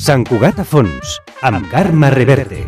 Sant Cugat a fons, amb Carme Reverte.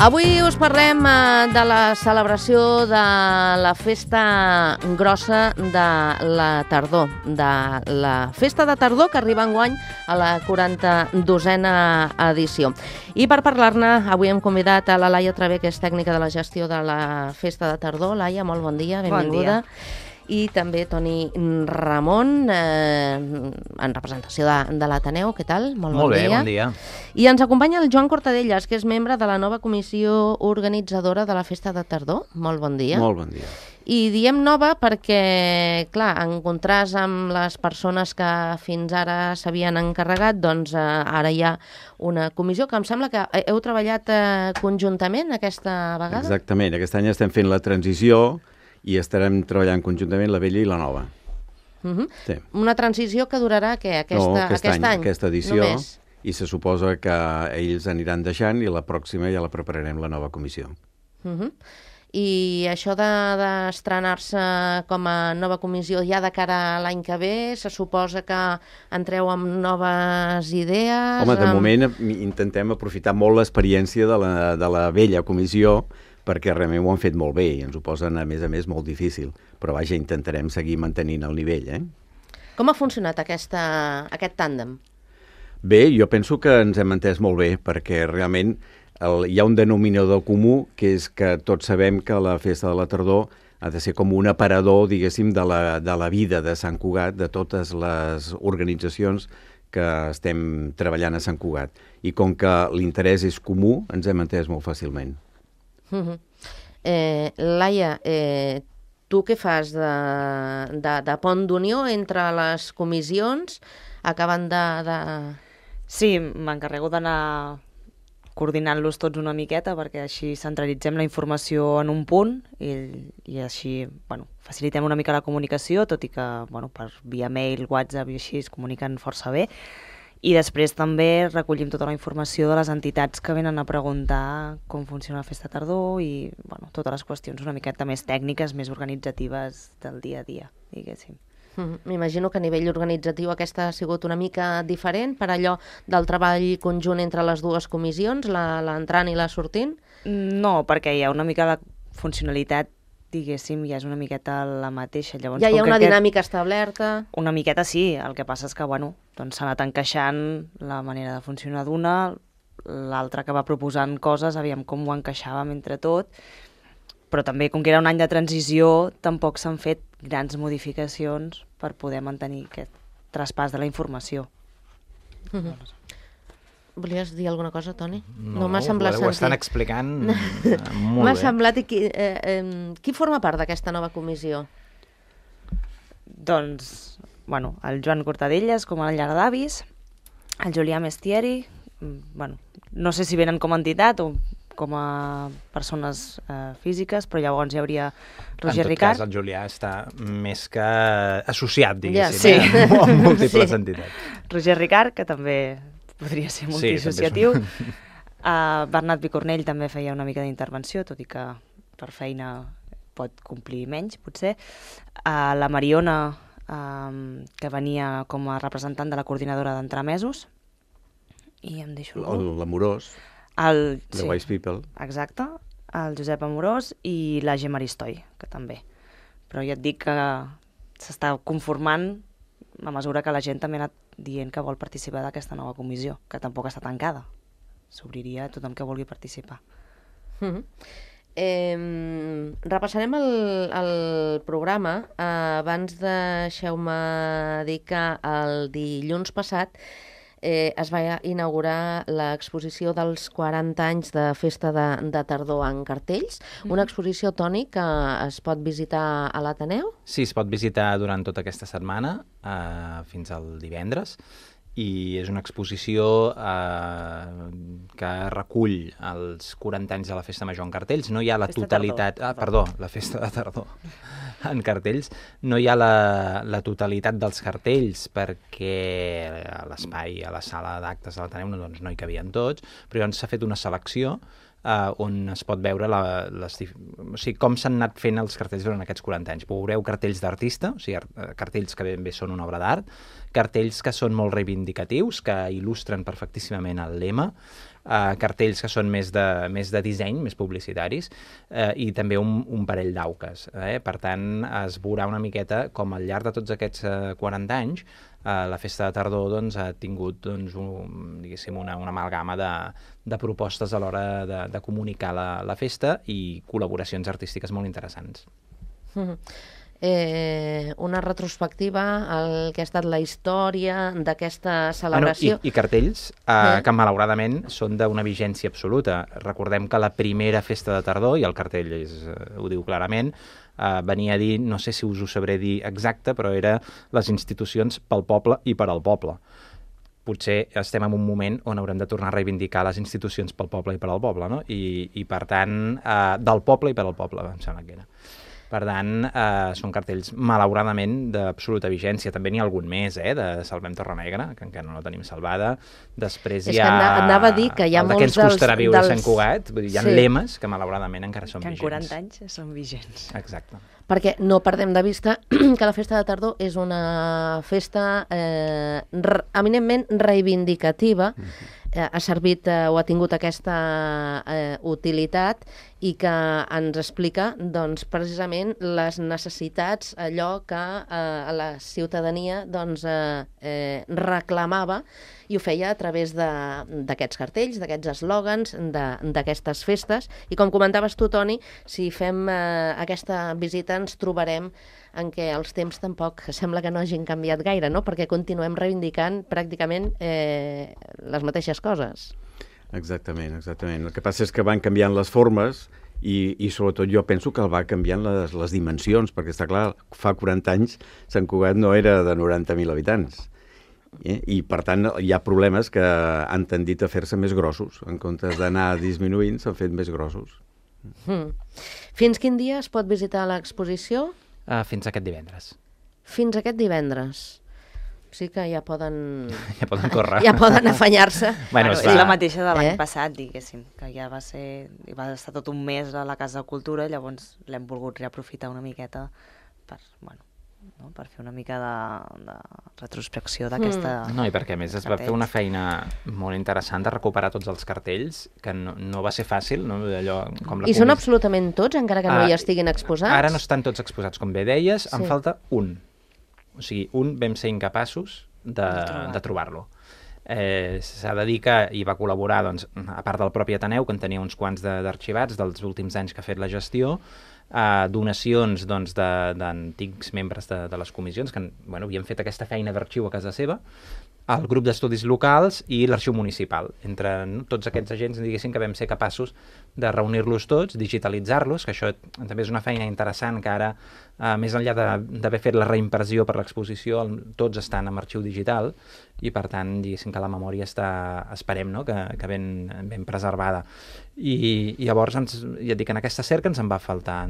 Avui us parlem de la celebració de la festa grossa de la tardor, de la festa de tardor que arriba enguany a la 42a edició. I per parlar-ne, avui hem convidat a la Laia Travé, que és tècnica de la gestió de la festa de tardor. Laia, molt bon dia, benvinguda. Bon dia. I també Toni Ramon, en representació de l'Ateneu. Què tal? Molt bon dia. Molt bé, bon dia. I ens acompanya el Joan Cortadellas, que és membre de la nova comissió organitzadora de la Festa de Tardor. Molt bon dia. Molt bon dia. I diem nova perquè, clar, en contrast amb les persones que fins ara s'havien encarregat, doncs ara hi ha una comissió que em sembla que heu treballat conjuntament aquesta vegada. Exactament. Aquest any estem fent la transició i estarem treballant conjuntament la vella i la nova. Sí. Una transició que durarà, què? Aquest any? Aquesta edició. Només. I se suposa que ells aniran deixant i la pròxima ja la prepararem la nova comissió. I això d'estrenar-se com a nova comissió ja de cara a l'any que ve, se suposa que entreu amb noves idees? Home, de moment intentem aprofitar molt l'experiència de la vella comissió, perquè realment ho han fet molt bé i ens ho posen, a més, molt difícil. Però vaja, intentarem seguir mantenint el nivell. Com ha funcionat aquest tàndem? Bé, jo penso que ens hem entès molt bé, perquè realment hi ha un denominador comú, que és que tots sabem que la Festa de la Tardor ha de ser com un aparador, diguéssim, de la vida de Sant Cugat, de totes les organitzacions que estem treballant a Sant Cugat. I com que l'interès és comú, ens hem entès molt fàcilment. Laia, tu què fas de pont d'unió entre les comissions? Acaben de... Sí, m'encarrego d'anar coordinant-los tots una miqueta perquè així centralitzem la informació en un punt i així facilitem una mica la comunicació, tot i que per via mail, WhatsApp i així es comuniquen força bé. I després també recollim tota la informació de les entitats que venen a preguntar com funciona la Festa Tardor i totes les qüestions una miqueta més tècniques, més organitzatives del dia a dia, diguéssim. M'imagino que a nivell organitzatiu aquesta ha sigut una mica diferent per allò del treball conjunt entre les dues comissions, l'entrant i la sortint? No, perquè hi ha una mica la funcionalitat, diguéssim, ja és una miqueta la mateixa. Llavors, ja hi ha una dinàmica establerta? Una miqueta sí, el que passa és que s'ha anat encaixant la manera de funcionar d'una, l'altra que va proposant coses, aviam com ho encaixàvem entre tot, però també, com que era un any de transició, tampoc s'han fet grans modificacions per poder mantenir aquest traspàs de la informació. Volies dir alguna cosa, Toni? No, m'ha semblat sentir. Ho estan explicant molt bé. M'ha semblat... Qui forma part d'aquesta nova comissió? Doncs, el Joan Cortadellas com a llar d'avis, el Julià Mestieri, no sé si venen com a entitat o com a persones físiques, però llavors hi hauria Roger Ricard. En tot cas, el Julià està més que associat, diguéssim, sí. Amb múltiples entitats. Roger Ricard, que també podria ser multiassociatiu. Bernat Picornell també feia una mica d'intervenció, tot i que per feina pot complir menys, potser. La Mariona, que venia com a representant de la coordinadora d'entremesos. I em deixo algú. L'Amorós. The Wise People. Exacte, el Josep Amorós i la Gemma Aristoi, que també. Però ja et dic que s'està conformant a mesura que la gent també ha anat dient que vol participar d'aquesta nova comissió, que tampoc està tancada. S'obriria a tothom que vulgui participar. Repassarem el programa. Abans deixeu-me dir que el dilluns passat es va inaugurar l'exposició dels 40 anys de Festa de Tardor en cartells. Una exposició, Toni, que es pot visitar a l'Ateneu? Sí, es pot visitar durant tota aquesta setmana, fins al divendres, i és una exposició que recull els 40 anys de la Festa Major en cartells. No hi ha la totalitat... la Festa de Tardor en cartells. No hi ha la totalitat dels cartells perquè a l'espai, a la sala d'actes de l'Ateneu, doncs no hi cabien tots, però llavors s'ha fet una selecció on es pot veure com s'han anat fent els cartells durant aquests 40 anys. Veureu cartells d'artista, o sigui, cartells que ben bé són una obra d'art, cartells que són molt reivindicatius, que il·lustren perfectíssimament el lema, cartells que són més de disseny, més publicitaris, i també un parell d'auques. Per tant, es veurà una miqueta com al llarg de tots aquests 40 anys la Festa de Tardor ha tingut una amalgama de propostes a l'hora de comunicar la festa i col·laboracions artístiques molt interessants. Una retrospectiva al que ha estat la història d'aquesta celebració. I cartells que malauradament són d'una vigència absoluta. Recordem que la primera Festa de Tardor, i el cartell ho diu clarament, venia a dir, no sé si us ho sabré dir exacte, però era les institucions pel poble i per al poble. Potser estem en un moment on haurem de tornar a reivindicar les institucions pel poble i per al poble, no? I per tant, del poble i per al poble, em sembla que era. Per tant, són cartells, malauradament, d'absoluta vigència. També n'hi ha algun més, de Salvem Torrenegra, que encara no la tenim salvada. Després hi ha anava a dir que hi ha el de què ens costarà viure a Sant Cugat. Vull dir, hi ha lemes que, malauradament, encara són vigents. Que en 40 anys són vigents. Exacte. Perquè no perdem de vista que la Festa de Tardor és una festa eminentment reivindicativa, ha servit o ha tingut aquesta utilitat i que ens explica doncs, precisament les necessitats, allò que la ciutadania doncs, reclamava, i ho feia a través d'aquests cartells, d'aquests eslògans, d'aquestes festes. I com comentaves tu, Toni, si fem aquesta visita ens trobarem en què els temps tampoc sembla que no hagin canviat gaire, no? Perquè continuem reivindicant pràcticament les mateixes coses. Exactament. El que passa és que van canviant les formes i sobretot jo penso que va canviant les dimensions, perquè està clar, fa 40 anys Sant Cugat no era de 90.000 habitants. I per tant hi ha problemes que han tendit a fer-se més grossos. En comptes d'anar disminuint, s'han fet més grossos. Fins quin dia es pot visitar l'exposició? Fins aquest divendres. Fins aquest divendres. Sí que ja poden... Ja poden córrer. Ja poden afanyar-se. Bueno, és la mateixa de l'any passat, diguéssim, que ja va estar tot un mes a la Casa de Cultura, llavors l'hem volgut reaprofitar una miqueta per fer una mica de retrospecció d'aquesta... No, i perquè a més es va fer una feina molt interessant de recuperar tots els cartells, que no va ser fàcil, no? Allò, com I són absolutament tots, encara que no hi estiguin exposats? Ara no estan tots exposats, com bé deies, en falta un. O sigui, un vam ser incapaços de trobar-lo. S'ha de dir que hi va col·laborar, doncs, a part del propi Ateneu, que en tenia uns quants d'arxivats dels últims anys que ha fet la gestió, donacions d'antics membres de les comissions que havien fet aquesta feina d'arxiu a casa seva, el grup d'estudis locals i l'arxiu municipal. Entre tots aquests agents, diguéssim, que vam ser capaços de reunir-los tots, digitalitzar-los, que això també és una feina interessant, que ara, més enllà d'haver fet la reimpressió per l'exposició, tots estan en arxiu digital, i per tant, diguéssim que la memòria està, esperem, no?, que ben preservada. I llavors, ja et dic, en aquesta cerca ens en va faltar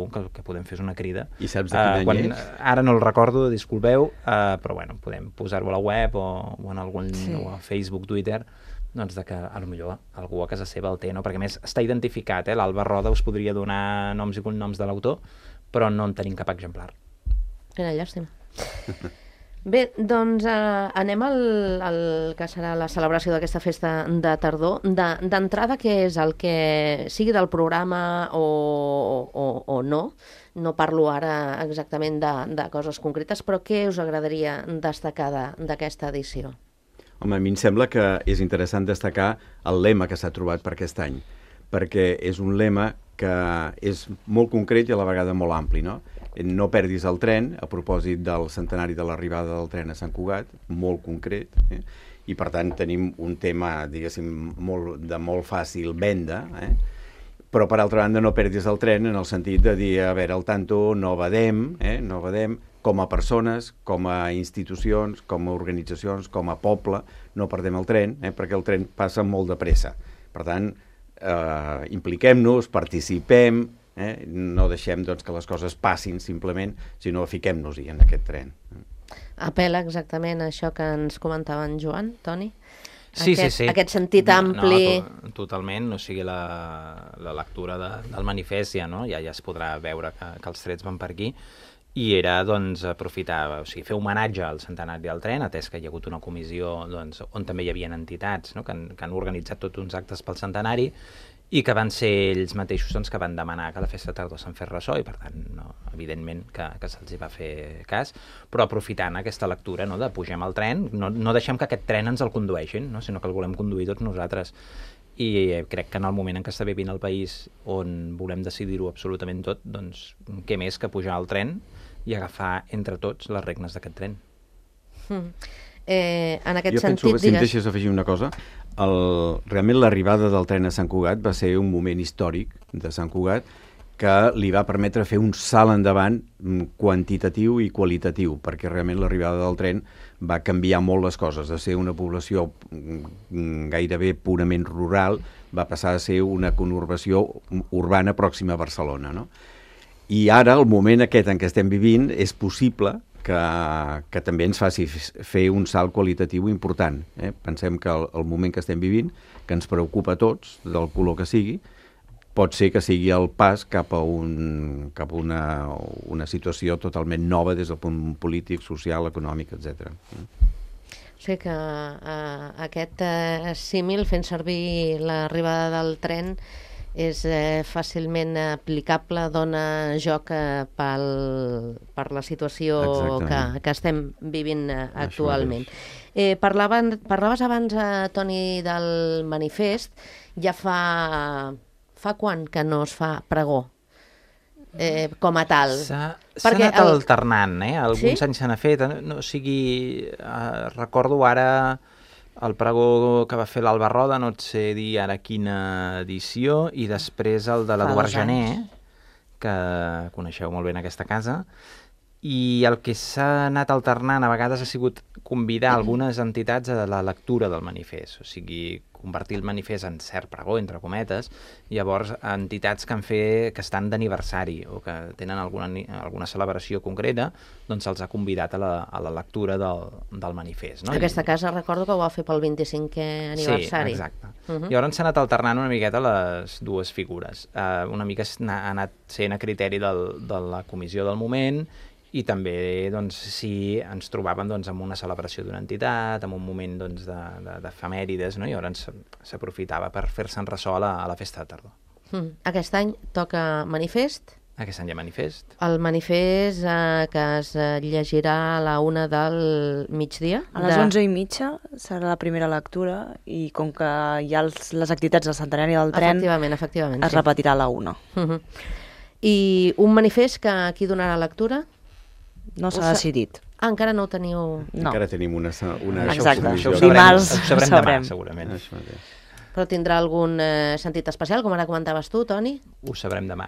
un, que podem fer una crida. I saps de quin any és? Ara no el recordo, disculpeu, però podem posar-ho a la web o en algun o a Facebook, Twitter, doncs que potser algú a casa seva el té, no? Perquè a més està identificat, l'Alba Roda us podria donar noms i cognoms de l'autor, però no en tenim cap exemplar. Quina llàstima. Bé, doncs anem al que serà la celebració d'aquesta Festa de Tardor. D'entrada, què és el que sigui del programa o no parlo ara exactament de coses concretes, però què us agradaria destacar d'aquesta edició? Home, a mi em sembla que és interessant destacar el lema que s'ha trobat per aquest any, perquè és un lema que és molt concret i a la vegada molt ampli, no? No perdis el tren, a propòsit del centenari de l'arribada del tren a Sant Cugat, molt concret, i per tant tenim un tema, diguéssim, de molt fàcil venda, però per altra banda no perdis el tren en el sentit de dir, a veure, al tanto, no badem, com a persones, com a institucions, com a organitzacions, com a poble, no perdem el tren, perquè el tren passa molt de pressa. Per tant, impliquem-nos, participem, no deixem que les coses passin simplement, sinó fiquem-nos-hi en aquest tren. Apel·la exactament a això que ens comentava en Joan, Toni? Sí. Aquest sentit ampli... No, totalment, o sigui, la lectura del manifest ja es podrà veure que els trets van per aquí, i era aprofitar, o sigui, fer homenatge al centenari del tren, atès que hi ha hagut una comissió on també hi havia entitats que han organitzat tots uns actes pel centenari, i que van ser ells mateixos que van demanar que la festa de tardor se'n fes ressò, i per tant, evidentment que se'ls va fer cas, però aprofitant aquesta lectura de pugem al tren, no deixem que aquest tren ens el condueixin, sinó que el volem conduir tots nosaltres. I crec que en el moment en què està vivint el país, on volem decidir-ho absolutament tot, doncs què més que pujar al tren i agafar entre tots les regnes d'aquest tren. En aquest sentit, sentit, si em deixes afegir una cosa, realment l'arribada del tren a Sant Cugat va ser un moment històric de Sant Cugat que li va permetre fer un salt endavant quantitatiu i qualitatiu, perquè realment l'arribada del tren va canviar molt les coses, de ser una població gairebé purament rural, va passar a ser una conurbació urbana pròxima a Barcelona, no? I ara, el moment aquest en què estem vivint, és possible que també ens faci fer un salt qualitatiu important. Pensem que el moment que estem vivint, que ens preocupa a tots, del color que sigui, pot ser que sigui el pas cap a una situació totalment nova des del punt polític, social, econòmic, etc. O sigui que aquest símil, fent servir l'arribada del tren, és fàcilment aplicable, dona joc per la situació que estem vivint actualment. Parlaves abans, Toni, del manifest. Ja fa quan que no es fa pregó com a tal? S'ha anat alternant, alguns anys se n'ha fet, o sigui, recordo ara el pregó que va fer l'Alba Roda, no et sé dir ara quina edició, i després el de l'Eduard Jané, que coneixeu molt bé en aquesta casa, i el que s'ha anat alternant a vegades ha sigut convidar algunes entitats a la lectura del manifest, o sigui, convertir el manifest en cert pregó, entre cometes, i llavors entitats que estan d'aniversari o que tenen alguna celebració concreta, doncs se'ls ha convidat a la lectura del manifest. Aquesta casa recordo que ho va fer pel 25è aniversari. Sí, exacte. Llavors s'ha anat alternant una miqueta les dues figures. Una mica ha anat sent a criteri de la comissió del moment, i també, si ens trobàvem amb una celebració d'una entitat, en un moment d'efemèrides, i llavors s'aprofitava per fer-se'n ressò a la festa de tardor. Aquest any toca manifest? Aquest any hi ha manifest. El manifest que es llegirà a la 1 del migdia? A les 11:30 serà la primera lectura, i com que hi ha les activitats del centenari del tren, efectivament, es repetirà a la 1. I un manifest que qui donarà lectura? No s'ha decidit. Encara no ho teniu... No. Encara tenim una Exacte. submissió. Dimarts ho sabrem demà, segurament. Però tindrà algun sentit especial, com ara comentaves tu, Toni? Ho sabrem demà.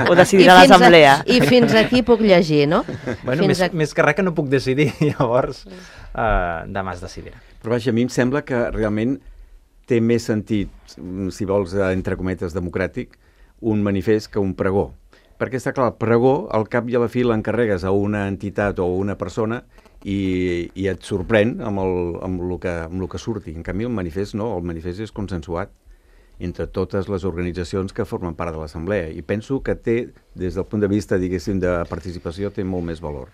Ho decidirà l'assemblea. I fins aquí puc llegir, no? Bueno, més que res que no puc decidir, llavors demà es decidirà. Però vaja, a mi em sembla que realment té més sentit, si vols, entre cometes, democràtic, un manifest que un pregó. Perquè està clar, el pregó, al cap i a la fi l'encarregues a una entitat o a una persona i et sorprèn amb el que surti. En canvi, el manifest no, el manifest és consensuat entre totes les organitzacions que formen part de l'assemblea, i penso que té, des del punt de vista, diguéssim, de participació, té molt més valor.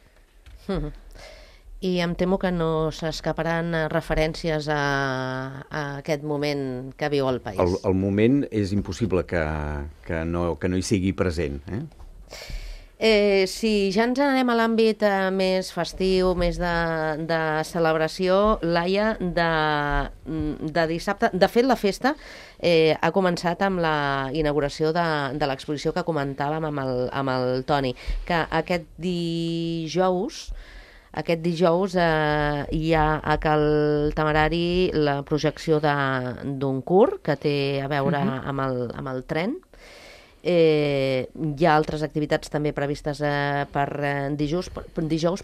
I em temo que no s'escaparan referències a aquest moment que viu el país. El moment és impossible que no hi sigui present. Si ja ens anem a l'àmbit més festiu, més de celebració, Laia, de dissabte... De fet, la festa ha començat amb la inauguració de l'exposició que comentàvem amb el Toni, que aquest dijous hi ha a Cal Temerari la projecció d'un curt que té a veure amb el tren. Hi ha altres activitats també previstes per dijous,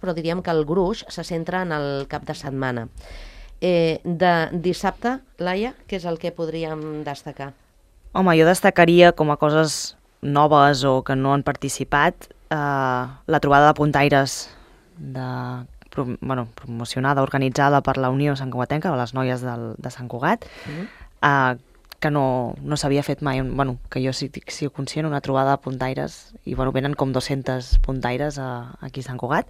però diríem que el gruix se centra en el cap de setmana. De dissabte, Laia, què és el que podríem destacar? Home, jo destacaria com a coses noves o que no han participat la trobada de puntaires promocionada, organitzada per la Unió Sant Cugatenca, o les noies de Sant Cugat, que no s'havia fet mai, que jo sí conscient, una trobada de puntaires, i venen com 200 puntaires aquí a Sant Cugat,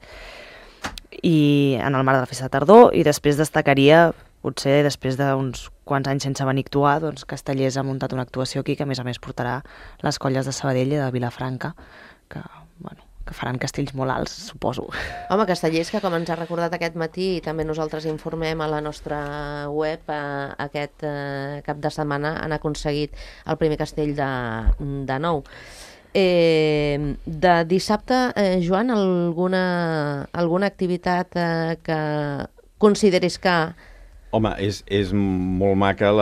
i en el marc de la festa de tardor, i després destacaria, potser després d'uns quants anys sense venir a actuar, doncs Castellers ha muntat una actuació aquí que a més portarà les colles de Sabadell i de Vilafranca, que faran castells molt alts, suposo. Home, Castellers, que com ens ha recordat aquest matí, i també nosaltres informem a la nostra web, aquest cap de setmana han aconseguit el primer castell de nou. De dissabte, Joan, alguna activitat que consideris que... Home, és molt maca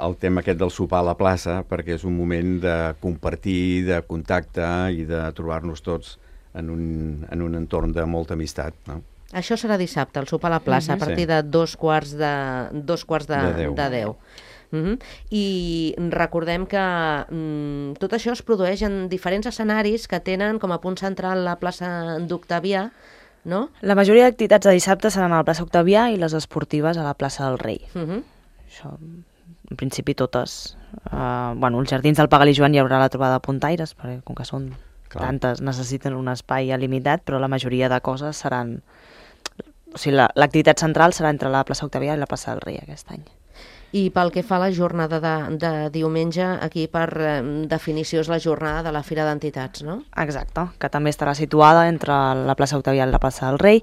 el tema aquest del sopar a la plaça, perquè és un moment de compartir, de contacte i de trobar-nos tots en un entorn de molta amistat, no? Això serà dissabte, el sopar a la plaça, a partir de 10:15. I recordem que tot això es produeix en diferents escenaris que tenen com a punt central la plaça d'Octavià, no? La majoria d'activitats de dissabte seran a la plaça Octavià i les esportives a la plaça del Rei. Això, en principi, totes. Als jardins del Pagal i Joan hi haurà la trobada de puntaires, perquè com que són tantes, necessiten un espai limitat, però la majoria de coses seran... O sigui, l'activitat central serà entre la plaça Octavià i la plaça del Rei aquest any. I pel que fa a la jornada de diumenge, aquí per definició és la jornada de la Fira d'Entitats, no? Exacte, que també estarà situada entre la plaça Octavià i la plaça del Rei,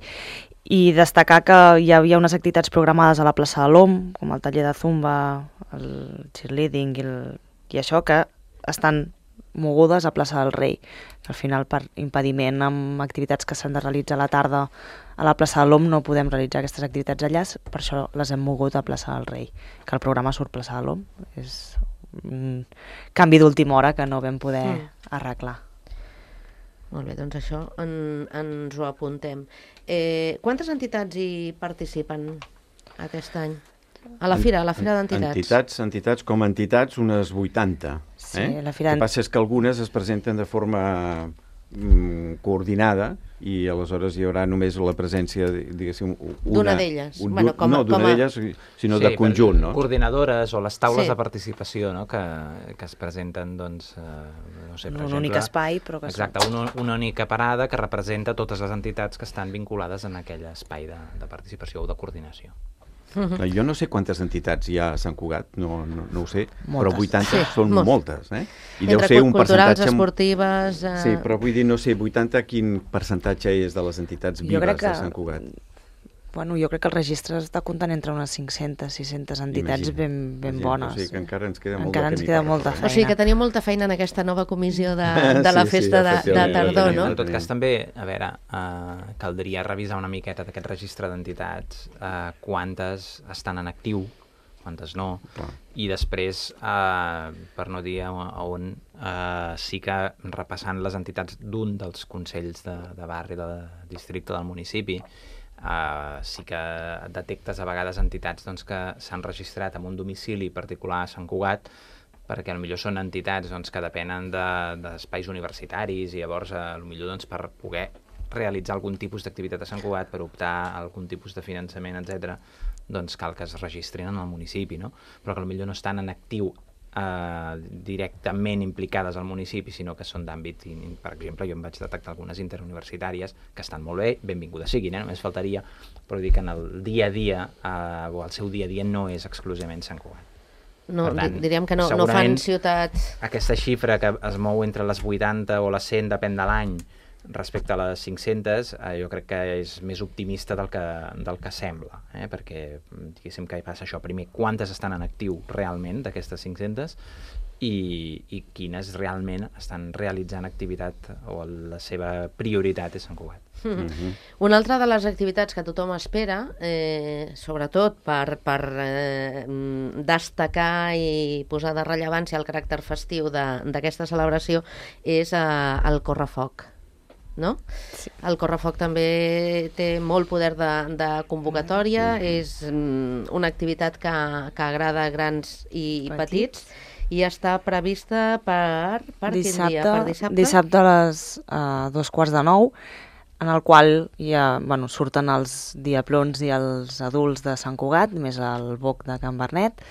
i destacar que hi havia unes activitats programades a la plaça de l'OM, com el taller de zumba, el cheerleading i això, que estan mogudes a plaça del Rei, que al final per impediment amb activitats que s'han de realitzar a la tarda a la plaça de l'OM no podem realitzar aquestes activitats allà, per això les hem mogut a plaça del Rei, que el programa surt plaça de l'OM, és un canvi d'última hora que no vam poder arreglar. Molt bé, doncs això ens ho apuntem. Quantes entitats hi participen aquest any? A la Fira d'Entitats. Entitats com a entitats, unes 80. Sí, la Fira... El que passa és que algunes es presenten de forma coordinada i aleshores hi haurà només la presència, diguéssim, d'una d'elles. No d'una d'elles, sinó de conjunt, no? Coordinadores o les taules de participació, no? Que es presenten, doncs, no sé, per exemple... Un únic espai, però que... Exacte, una única parada que representa totes les entitats que estan vinculades en aquell espai de participació o de coordinació. Jo no sé quantes entitats hi ha a Sant Cugat, no ho sé, moltes. Però 80 són moltes, I deu ser un culturals, esportives... Sí, però vull dir, no sé, 80 quin percentatge és de les entitats vives de Sant Cugat? Jo crec que el registre està comptant entre unes 500-600 entitats ben bones. O sigui que encara ens queda molta feina. O sigui que teniu molta feina en aquesta nova comissió de la festa de tardor, no? En tot cas, també, a veure, caldria revisar una miqueta d'aquest registre d'entitats, quantes estan en actiu, quantes no, i després, per no dir on, sí que repassant les entitats d'un dels consells de barri, de districte del municipi, sí que detectes a vegades entitats que s'han registrat en un domicili particular a Sant Cugat, perquè potser són entitats que depenen d'espais universitaris i llavors potser per poder realitzar algun tipus d'activitat a Sant Cugat, per optar a algun tipus de finançament, etc., doncs cal que es registrin en el municipi, no? Però que potser no estan en actiu directament implicades al municipi, sinó que són d'àmbit, per exemple, jo em vaig detectar algunes interuniversitàries que estan molt bé, benvingudes siguin, només faltaria, però dic que en el dia a dia, o el seu dia a dia, no és exclusivament Sant Cugat. No, diríem que no fan ciutats... Aquesta xifra que es mou entre les 80 o les 100, depèn de l'any, Respecte a les 500, jo crec que és més optimista del que sembla, perquè diguéssim que hi passa això. Primer, quantes estan en actiu realment d'aquestes 500 i quines realment estan realitzant activitat o la seva prioritat és Sant Cugat. Una altra de les activitats que tothom espera, sobretot per destacar i posar de rellevància el caràcter festiu d'aquesta celebració, és el correfoc. No? Sí. El correfoc també té molt poder de convocatòria, és una activitat que agrada a grans i petits, i està prevista per quin dia? Per dissabte? Dissabte a les 8:45, en el qual surten els diaplons i els adults de Sant Cugat, més el boc de Can Bernet,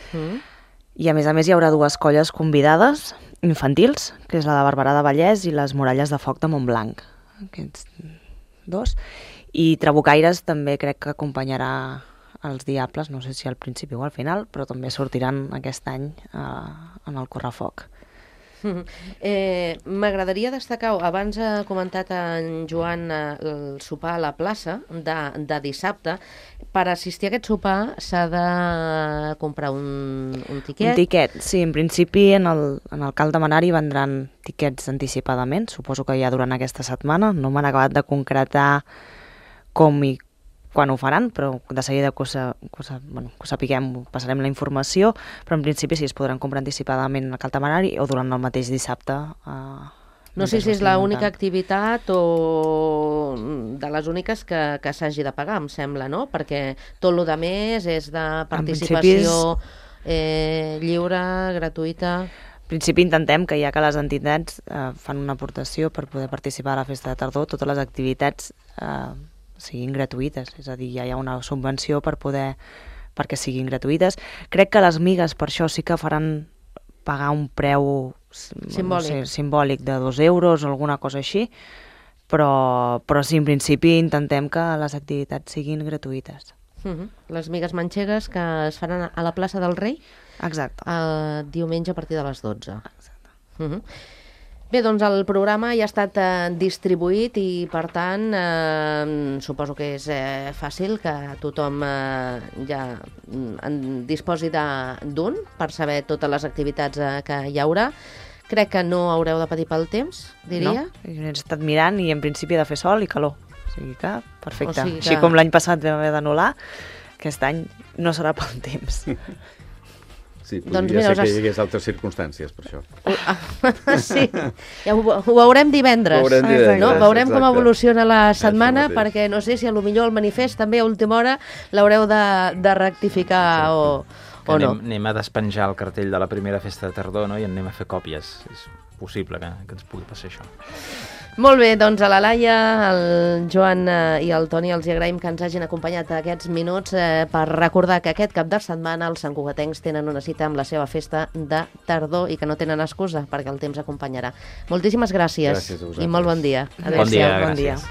i a més hi haurà dues colles convidades infantils, que és la de Barberà de Vallès i les Muralles de Foc de Montblanc. Aquests dos. I Trabucaires també crec que acompanyarà els Diables, no sé si al principi o al final, però també sortiran aquest any en el correfoc. M'agradaria destacar, abans ha comentat en Joan el sopar a la plaça de dissabte. Per assistir a aquest sopar s'ha de comprar un tiquet? Un tiquet, sí, en principi en el Cal de Manari vendran tiquets anticipadament, suposo que ja durant aquesta setmana, no m'han acabat de concretar com i quan ho faran, però de seguida que ho sapiguem, passarem la informació, però en principi sí, es podran comprar anticipadament al Cal de Manari o durant el mateix dissabte. No sé si és l'única activitat o de les úniques que s'hagi de pagar, em sembla, no? Perquè tot el més és de participació lliure, gratuïta. En principi intentem que ja que les entitats fan una aportació per poder participar a la festa de tardor, totes les activitats siguin gratuïtes, és a dir, ja hi ha una subvenció perquè siguin gratuïtes. Crec que les migues per això sí que faran pagar un preu simbòlic de 2 euros o alguna cosa així, però sí, en principi intentem que les activitats siguin gratuïtes. Les migues manxegues que es faran a la plaça del Rei? Exacte. Diumenge a partir de les 12. Exacte. Bé, doncs el programa ja ha estat distribuït i, per tant, suposo que és fàcil que tothom ja en disposi d'un per saber totes les activitats que hi haurà. Crec que no haureu de patir pel temps, diria. No, he estat mirant i en principi ha de fer sol i calor. O sigui que, perfecte. Així com l'any passat vam haver d'anul·lar, aquest any no serà pel temps. Sí, podria ser que hi hagués altres circumstàncies, per això. Sí, ja ho veurem divendres. Veurem com evoluciona la setmana, perquè no sé si potser el manifest també a última hora l'haureu de rectificar o no. Anem a despenjar el cartell de la primera festa de tardor, no? I anem a fer còpies. És possible que ens pugui passar això. Molt bé, doncs a la Laia, el Joan i el Toni els agraïm que ens hagin acompanyat aquests minuts per recordar que aquest cap de setmana els santcugatencs tenen una cita amb la seva festa de tardor i que no tenen excusa perquè el temps acompanyarà. Moltíssimes gràcies i molt bon dia. Bon dia, gràcies.